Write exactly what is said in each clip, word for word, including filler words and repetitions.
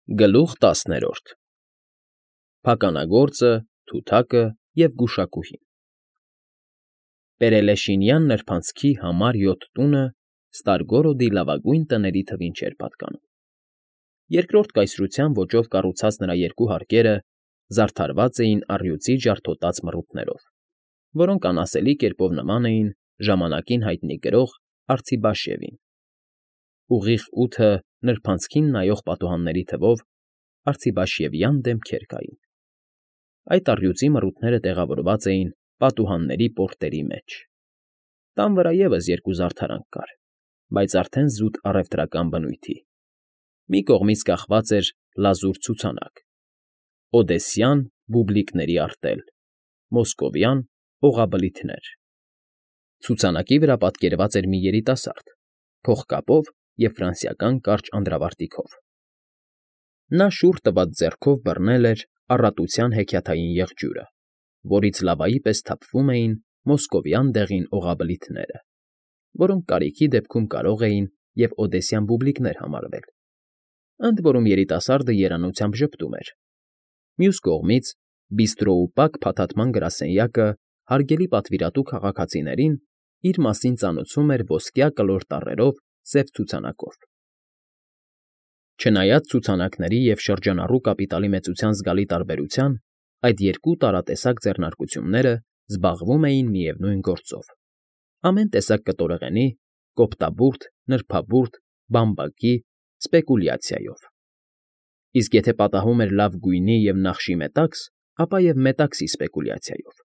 Գլուխ տասներորդ Փականագործը, թութակը և գուշակուհին Պերելեշինյան նրբանցքի համար յոթ տունը Ստարգորոդի լավագույն տների թվին չէր պատկանում. երկրորդ կայսրության ոճով կառուցած նրա երկու հարկերը զարդարված էին առյուծի ջարդոտած մռութներով, որոնք անասելի կերպով նման էին ժամանակին հայտնի գրող Արցիբաշևին. ուղիղ ութը նրբանցքին նայող պատուհանների թվով արցիբաշևյան դեմքեր կային. այդ առյուծի մռութները տեղավորված էին պատուհանների պորտերի մեջ. տան վրա ևս երկու զարդարանք կար, բայց արդեն զուտ առևտրական բնույթի. մի կողմից կախված էր լազուր ցուցանակ. Օդեսյան բուբլիկների արտել, մոսկովյան օղաբլիթներ. ցուցանակի վրա պատկերված էր մի երիտասարդ, փողկապով և ֆրանսիական կարճ անդրավարտիքով. նա շուռ տված ձեռքով բռնել էր առատության հեքիաթային եղջյուրը, որից լավայի պես թափվում էին մոսկովյան դեղին օղաբլիթները, որոնք կարիքի դեպքում կարող էին և օդեսյան բուբլիկներ համարվել, ընդ որում երիտասարդը երանությամբ ժպտում էր. մյուս կողմից բիստրոուպակ փաթաթման գրասենյակը հարգելի պատվիրատու քաղաքացիներին իր մասին ծանոթում էր ոսկյա կլոր տառերով սև ցուցանակով. Չնայած ցուցանակների և շրջանառու կապիտալի մեծության զգալի տարբերության, այդ երկու տարատեսակ ձեռնարկությունները զբաղվում էին միևնույն գործով. ամեն տեսակ կտորեղենի, կոպտաբուրդ, նրբաբուրդ, բամբակի սպեկուլյացիայով. իսկ եթե պատահում էր լավ գույնի և նախշի մետաքս, ապա և մետաքսի սպեկուլյացիայով.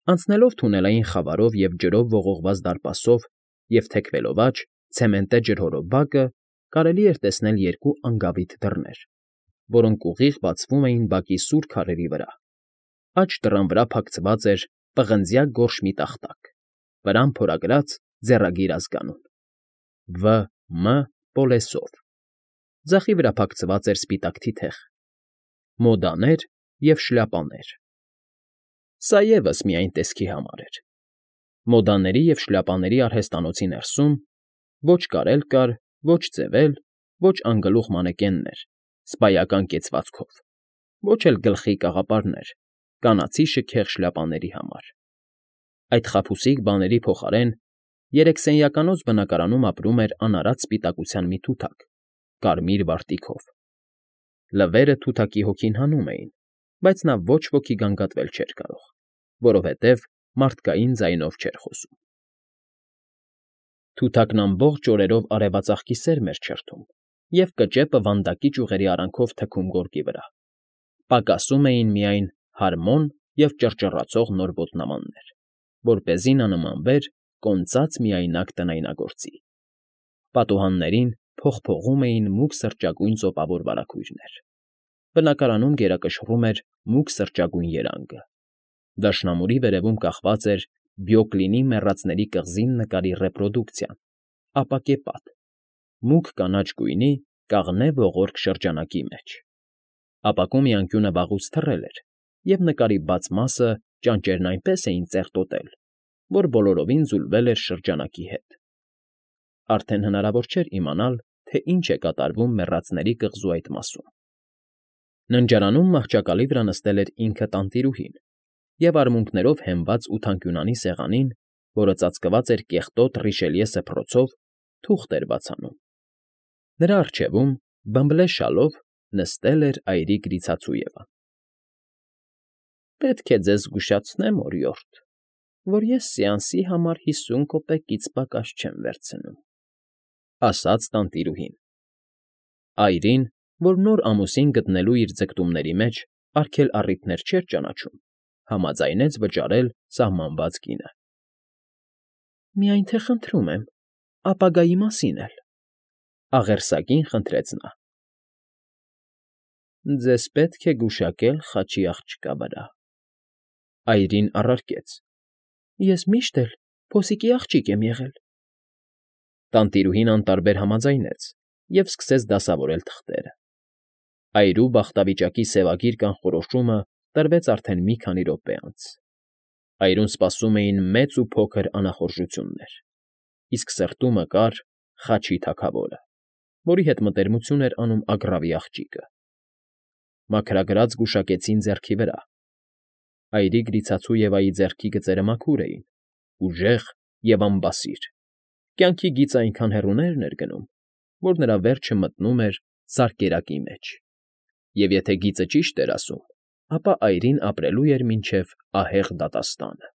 Անցնելով թունելային խավարով և ջրով ողողված դարպասով և թեքվելով աջ, ցեմենտե ջրհորով բակը, կարելի էր տեսնել երկու անգավիթ դռներ, որոնք ուղիղ բացվում էին բակի սուր քարերի վրա. աջ դռան վրա փակցված էր պղնձյա գորշ մի տախտակ, վրան փորագրած ձեռագիր ազգանուն. Վ. Մ. Պոլեսով, ձախի վրա փակցված էր սպիտակ թիթեղ. Մոդաներ և շլյապաներ. Սա ևս միայն տեսքի համար էր. մոդաների և շլյապաների արհեստանոցի ներսում ոչ կարել կար, ոչ ձևել, ոչ անգլուխ մանեկեններ, սպայական կեցվածքով, ոչ էլ գլխի կաղապարներ, կանացի շքեղ շլյապաների համար. այդ խաբուսիկ բաների փոխարեն երեքսենյականոց բնակարանում ապրում էր անարատ սպիտակության մի թութակ, կարմիր վարտիքով. լվերը թութակի հոգին հանում էին, բայց նա ոչ ոքի գանգատվել չէր կարող, որովհետև մարդկային ձայնով չէր խոսում. Թութակն ամբողջ օրերով արևածաղկի սերմ էր չրթում, և կճեպը վանդակի ճյուղերի արանքով թքում գորգի վրա. պակասում էին միայն հարմոն և ճռճռացող նոր ոտնամաններ, որպեսզի նա նմանվեր կոնծած միայնակ տնայնագործի. պատուհաններին փողփողում էին մուգ սրճագույն ծոպավոր վարագույրներ. բնակարանում գերակշռում էր մուգ սրճագույն երանգը. դաշնամուրի վերևում կախված էր Բյոկլինի մեռածների կղզին նկարի ռեպրոդուկցիան, ապակե պատ, մուգ կանաչ գույնի կաղնե ողորկ շրջանակի մեջ. ապակու մի անկյունը վաղուց թռել էր, և նկարի բաց մասը ճանճերն այնպես էին ծերտոտել, որ բոլորովին ձուլվել էր շրջանակի հետ. արդեն հնարավոր չէր իմանալ, թե ինչ է կատարվում մեռածների կղզու այդ մասում. ննջարանում մահճակալի վրա նստել էր ինքը տանտիրուհին և արմունկներով հենված ութանկյունանի սեղանին, որը ծածկված էր կեղտոտ Ռիշելյե սփռոցով, թուղթ էր բաց անում. նրա առջևում, բըմբլե շալով, նստել էր այրի Գրիցածուևան։ ֊ Պետք է ձեզ զգուշացնեմ, օրիորդ, որ ես սեանսի համար հիսուն կոպեկից պակաս չեմ վերցնում, ֊ ասաց տանտիրուհին. այրին, որ նոր ամուսին գտնելու իր ձգտումների մեջ արգել առիթներ չէր ճանաչում, համաձայնեց վճարել սահմանված գինը։ ֊ Միայն թե խնդրում եմ, ապագայի մասին էլ, ֊ աղերսագին խնդրեց նա։ ֊ Ձեզ պետք է գուշակել խաչի աղջկա վրա, ֊ այրին առարկեց. ես միշտ էլ փոսիկի աղջիկ եմ եղել։ Տանտիրուհին անտարբեր համաձայնեց և սկսեց դասավորել թղթերը. այրու բախտավիճակի սևագիր կանխորոշումը տրվեց արդեն մի քանի րոպե անց. այրուն սպասում էին մեծ ու փոքր անախորժություններ, իսկ սրտում մկար խաչի թագավորը, որի հետ մտերմություն էր անում Ագռավի աղջիկը։ Մաքրագրած գուշակեցին ձեռքի վրա։ Այրի-գրիցածու Եվայի ձեռքի գծերը մաքուր էին, ուժեղ և անբասիր, կյանքի գիծը այնքան հեռուներն էր գնում, որ նրա վերջը մտնում էր զարկերակի մեջ, և եթե գիծը ճիշտ էր ասում, ապա այրին ապրելու էր մինչև ահեղ դատաստանը։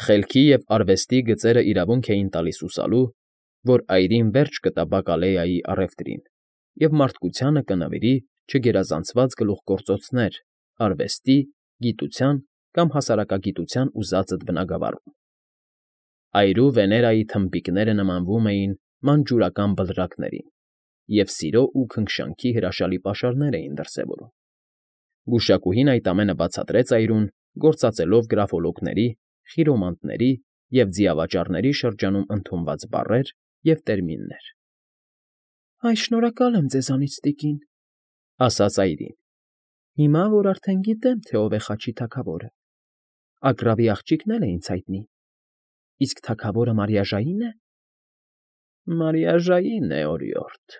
Խելքի և արվեստի գծերը իրավունք էին տալիս հուսալու, որ այրին վերջ կտա բակալեայի առևտրին և մարդկությանը կնվիրի չգերազանցված գլուխգործոցներ արվեստի, գիտության կամ հասարակագիտության ուզածդ բնագավառում։ Այրու Վեներայի թմբիկները նմանվում էին մանջուրական բլրակներին և սիրո ու քնքշանքի հրաշալի պաշարներ էին դրսևորում։ Գուշակուհին այդ ամենը բացատրեց այրուն, գործածելով գրաֆոլոգների, խիրոմանտների և ձիավաճառների շրջանում ընդունված բառեր և տերմիններ։ ֊ Այ, շնորհակալ եմ ձեզանից, տիկին, ֊ ասաց այրին։ ֊ Հիմա որ արդեն գիտեմ, թե ով է խաչի թագավորը, Ագռավի աղջիկն էլ է ինձ հայտնի, իսկ թագավորը մարիաժայի՞ն է։ ֊ Մարիաժային է, օրիորդ…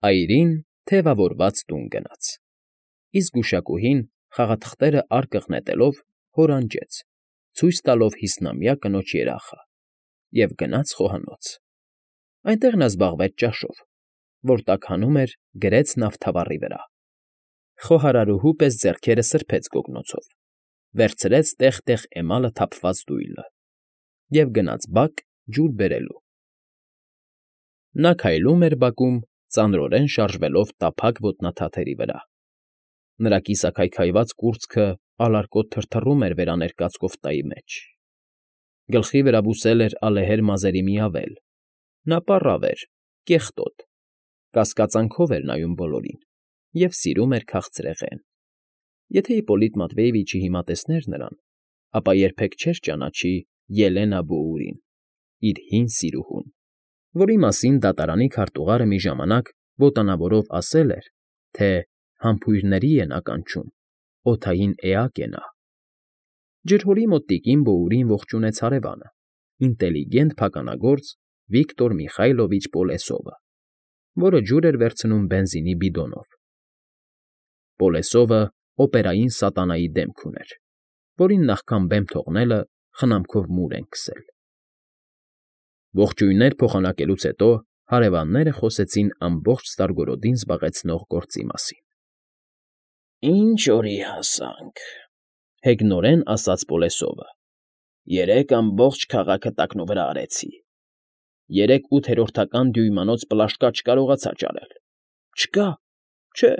Այրին թևավորված տուն գնաց, իսկ գուշակուհին, խաղաթղթերըարկղ նետելով, հորանջեց, ցույց տալով հիսնամյա կնոջ երախը, և գնաց խոհանոց. այնտեղ նա զբաղվեց ճաշով, որ տաքանում էր գրեց նավթավառի վրա, խոհարարուհու պես ձեռքերը սրբեց գոգնոցով, վերցրեց տեղ֊տեղ էմալը թափված դույլը և գնաց բակ ջուր բերելու։ Նա քայլում էր բակում, ծանրորեն շարժվելով տափակ ոտնաթաթերի վրա, նրա կիսաքայքայված կուրծքը ալարկոտ թրթռում էր վերաներկած կոֆտայի մեջ, գլխի վրա բուսել էր ալեհեր մազերի մի ավել, նա պառավ էր, կեղտոտ, կասկածանքով էր նայում բոլորին և սիրում էր քաղցրեղեն։ Եթե Իպպոլիտ Մատվեևիչը հիմա տեսներ նրան, ապա երբեք չէր ճանաչի Ելենա Բոուրին, իր հին սիրուհուն, որի մասին դատարանի քարտուղարը մի ժամանակ ոտանավորով ասել էր, թե համբույրների է նա կանչում, օդային էակ է նա։ Ջրհորի մոտ տիկին Բոուրին ողջունեց հարևանը, ինտելիգենտ փականագործ Վիկտոր Միխայլովիչ Պոլեսովը, որը ջուր էր վերցնում բենզինի բիդոնով։ Պոլեսովը օպերային սատանայի դեմք ուներ, որին նախքան բեմ թողնելը խնամքով մուր են քսել։ Ողջույններ փոխանակելուց հետո հարևանները խոսեցին ամբողջ Ստարգորոդին զբաղեցնող գործի մասին։ ֊ Ինչ օրի հասանք,֊ հեգնորեն ասաց Պոլեսովը,֊ երեկ ամբողջ քաղաքը տակնուվրա արեցի, երեք ութերորդական դյույմանոց պլաշկա չկարողացա ճարել, չկա, չէ,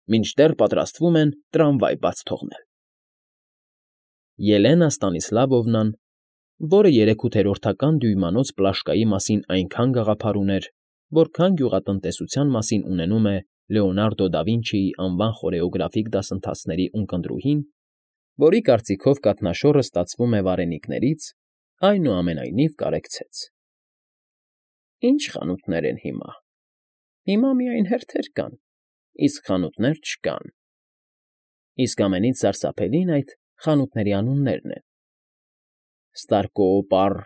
մինչդեռ պատրաստվում են տրամվայ բաց թողնել։ Ելենա Ստանիսլավովնան, որը երեքութերորդական դյույմանոց պլաշկայի մասին այնքան գաղափար ուներ, որքան գյուղատնտեսության մասին ունենում է Լեոնարդո դա Վինչիի անվան խորեոգրաֆիկ դասընթացների ունկնդրուհին, որի կարծիքով կաթնաշոռը ստացվում է վարենիքներից, այնուամենայնիվ կարեկցեց. ֊ Ի՞նչ խանութներ են հիմա։ Հիմա միայն հերթեր կան, իսկ խանութներ չկան, իսկ ամենից սարսափելին այդ խանութների անուններն են. Ստարկոոպար…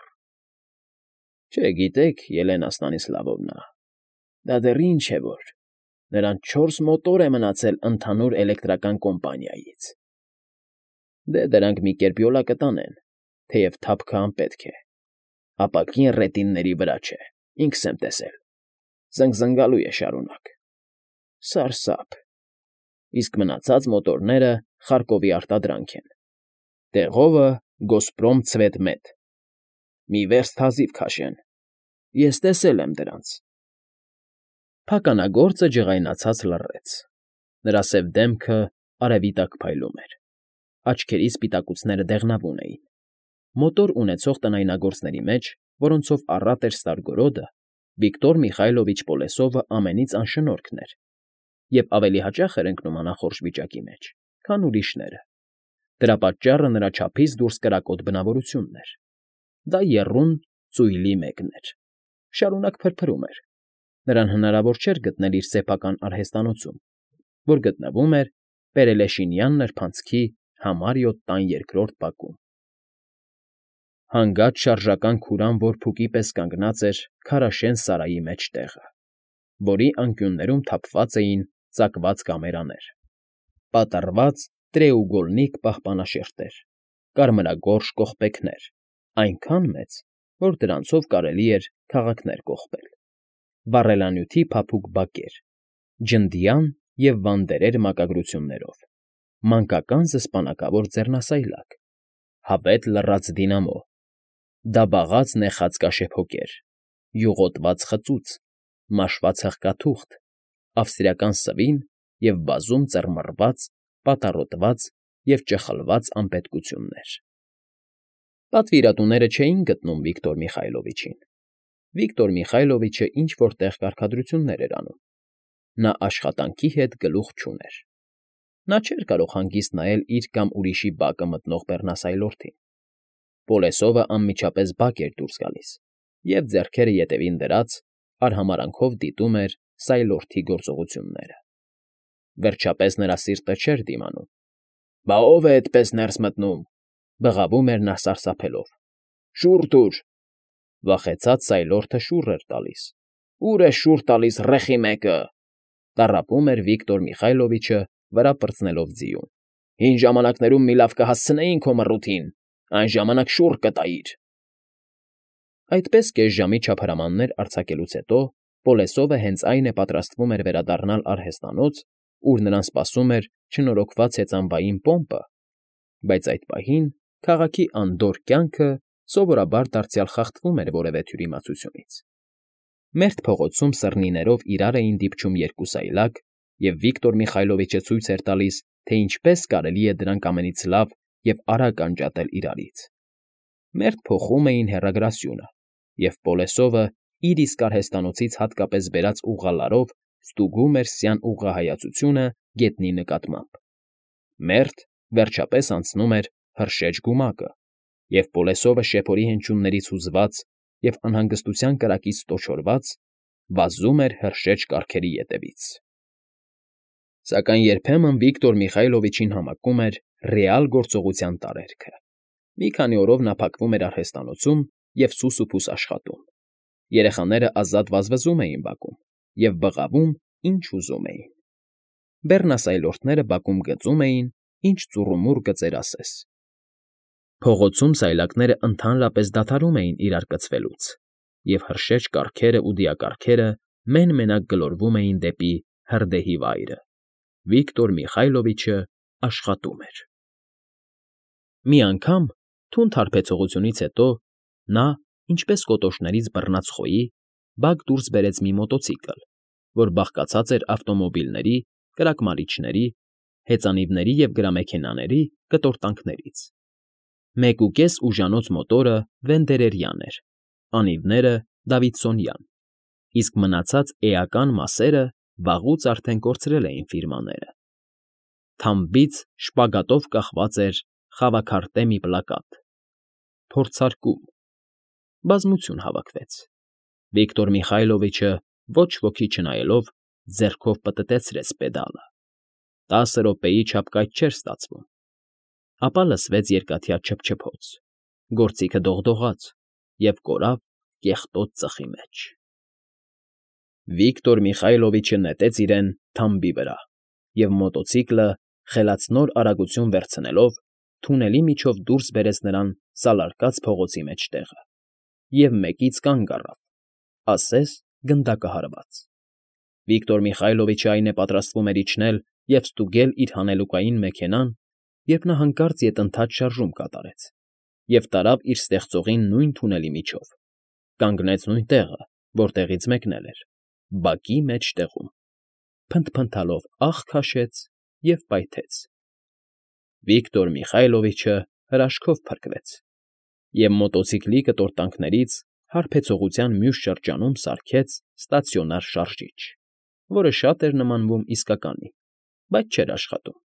Չգիտեք, Ելենա Ստանիսլավովնա, դա դեռ ինչ է որ, նրան չորս մոտոր է մնացել ընդհանուր էլեկտրական կոմպանիայից… Դե, դրանք մի կերպ յոլա կտանեն, թեև թափքը անպետք է, ապակին ռետինների վրա չէ, ինքս եմ տեսել, զնգզնգալու է շարունակ… Սարսափ… Իսկ մնացած մոտորները Խարկովի արտադրանք են, տեղովը Գոսպրոմ Ցվետմետ, մի վերստ հազիվ քաշեն, ես տեսել եմ դրանց… Փականագործը ջղայնացած լռեց, նրա սև դեմքը արևի տակ փայլում էր, աչքերի սպիտակուցները դեղնավուն էին։ Մոտոր ունեցող տնայնագործների մեջ, որոնցով առատ էր Ստարգորոդը, Վիկտոր Միխայլովիչ Պոլեսովը ամենից անշնորհքն էր և ավելի հաճախ էր ընկնում անախորժ վիճակի մեջ, քան ուրիշները։ Դրա պատճառը նրա չափից դուրս կրակոտ բնավորությունն էր։ Դա եռուն ծույլի մեկն էր, շարունակ փրփրում էր, նրան հնարավոր չէր գտնել իր սեփական արհեստանոցում, որ գտնվում էր Պերելեշինյան նրբանցքի համար յոթ տան երկրորդ բակում։ Հանգած շարժական քուրան որփուկի պես կանգնած էր քարաշեն սարայի մեջտեղը, որի անկյուններում թափված էին ծակված կամերաներ, պատառված տրեուգոլնիկ պահպանաշերտեր, կարմրագորշ կողպեքներ, այնքան մեծ, որ դրանցով կարելի էր քաղաքներ կողպել, վառելանյութի փափուկ բակեր, ջնդյան և վանդերեր մակագրություններով, մանկական զսպանակավոր ձեռնասայլակ, հավետ լռած դինամո, դաբաղած նեխած կաշեփոկեր, յուղոտված խծուց, մաշված հղկաթուղթ, ավստրիական սվին և բազում ծռմռված, պատառոտված և ճխլված անպետքություններ։ Պատվիրատուները չէին գտնում Վիկտոր Միխայլովիչին։ Վիկտոր Միխայլովիչը ինչ֊որ տեղ կարգադրություններ էր անում։ Նա աշխատանքի հետ գլուխ չուներ։ Նա չէր կարող հանգիստ նայել իր կամ ուրիշի բակը մտնող բեռնասայլորդին։ Պոլեսովը անմիջապես բակ էր դուրս գալիս և, ձեռքերը ետևին դրած, արհամարհանքով դիտում էր սայլորդի գործողությունները։ Վերջապես նրա սիրտը չէր դիմանում։ ֊ Բա ո՞վ է էդպես ներս մտնում,֊ բղավում էր նա սարսափելով։ ֊ Շուռ տուր… Վախեցած սայլորդը շուռ էր տալիս։ ֊ Ո՞ւր ես շուռ տալիս, ռեխի մեկը,֊ տառապում էր Վիկտոր Միխայլովիչը, վրա պրծնելով ձիուն։ ֊ Հին ժամանակներում մի լավ կհասցնեին քո մռութին, այն ժամանակ շուռ կտայիր… Այդպես կես ժամի չափարամաններ արձակելուց հետո Պոլեսովը հենց այն է պատրաստվում էր վերադառնալ արհեստանոց, ուր նրան սպասում էր չնորոգված հեծանվային պոմպը, բայց այդ պահին քաղաքի անդորր կյանքը սովորաբար դարձյալ խախտվում էր որևէ թյուրիմացությունից։ Մերթ փողոցում սըռնիներով իրար էին դիպչում երկու սայլակ, և Վիկտոր Միխայլովիչը ցույց էր տալիս, թե ինչպես կարելի է դրանք ամենից լավ և արագ անջատել իրարից։ Մերթ փոխում էին հեռագրասյունը, և Պոլեսովը իր իսկ արհեստանոցից հատկապես բերած ուղղալարով ստուգում էր սյան ուղղահայացությունը գետնի նկատմամբ։ Մերթ, վերջապես, անցնում էր հրշեջ գումակը, և Պոլեսովը շեփորի հնչյուններից հուզված և անհանգստության կրակից ստոչորված վազում էր հրշեջ կառքերի ետևից։ Սակայն երբեմն Վիկտոր Միխայլովիչին համակում էր ռեալ գործողության տարերքը։ Մի քանի օրով նա փակվում էր արհեստանոցում և սուսուփուս աշխատում։ Երեխաները ազատ վազվզում էին բակում և բղավում, ինչ ուզում էին։ Բեռնասայլորդները բակում գծում էին, ինչ ծուռումուռ գծեր ասես։ Փողոցում սայլակներն ընդհանրապես դադարում էին իրար կծվելուց, և հրշեջ կառքերն ու դիակառքերը մեն֊մենակ գլորվում էին դեպի հրդեհի վայրը։ Վիկտոր Միխայլովիչը աշխատում էր։ Մի անգամ, թունդ հարբեցողությունից հետո, նա, ինչպես կոտորներից բռնած խոյի, բակ դուրս բերեց մի մոտոցիկլ, որ բաղկացած էր ավտոմոբիլների, կրակմարիչների, հեծանիվների և գրամեքենաների կտորտանքներից։ Մեկուկես ուժանոց մոտորը վենդերերյան էր, անիվները՝ դավիդսոնյան, իսկ մնացած էական մասերը վաղուց արդեն կորցրել էին ֆիրմաները։ Թամբից շպագատով կախված էր խավաքարտե մի պլակատ՝ «Փորձարկում»։ Բազմություն հավաքվեց։ Վիկտոր Միխայլովիչը, ոչ ոքի չնայելով, ձեռքով պտտեցրեց պեդալը։ Տասը րոպեի չափ կայթ չէր ստացվում։ Ապա լսվեց երկաթյա չփչփոց, գործիքը դողդողաց և կորավ կեղտոտ ծխի մեջ։ Վիկտոր Միխայլովիչը նետեց իրեն թամբի վրա, և մոտոցիկլը, խելացնոր արագություն վերցնելով, թունելի միջով դուրս բերեց նրան սալարկած փողոցի մեջտեղը և մեկից կանգ առավ, ասես գնդակահարված։ Վիկտոր Միխայլովիչը այն է պատրաստվում էր իջնել և ստուգել իր հանելուկային մեքենան, երբ նա հանկարծ ետընթաց շարժում կատարեց և տարավ իր ստեղծողին նույն թունելի միջով, կանգնեց նույն տեղը, որտեղից մեկնել էր, բակի մեջտեղում, փնթփնթալով աղ քաշեց և պայթեց։ Վիկտոր Միխայլովիչը հրաշքով փրկվեց և մոտոցիկլի կտորտանքներից հարբեցողության մյուս շրջանում սարքեց ստացիոնար շարժիչ, որը շատ էր նմանվում իսկականի, բայց չէր աշխատում։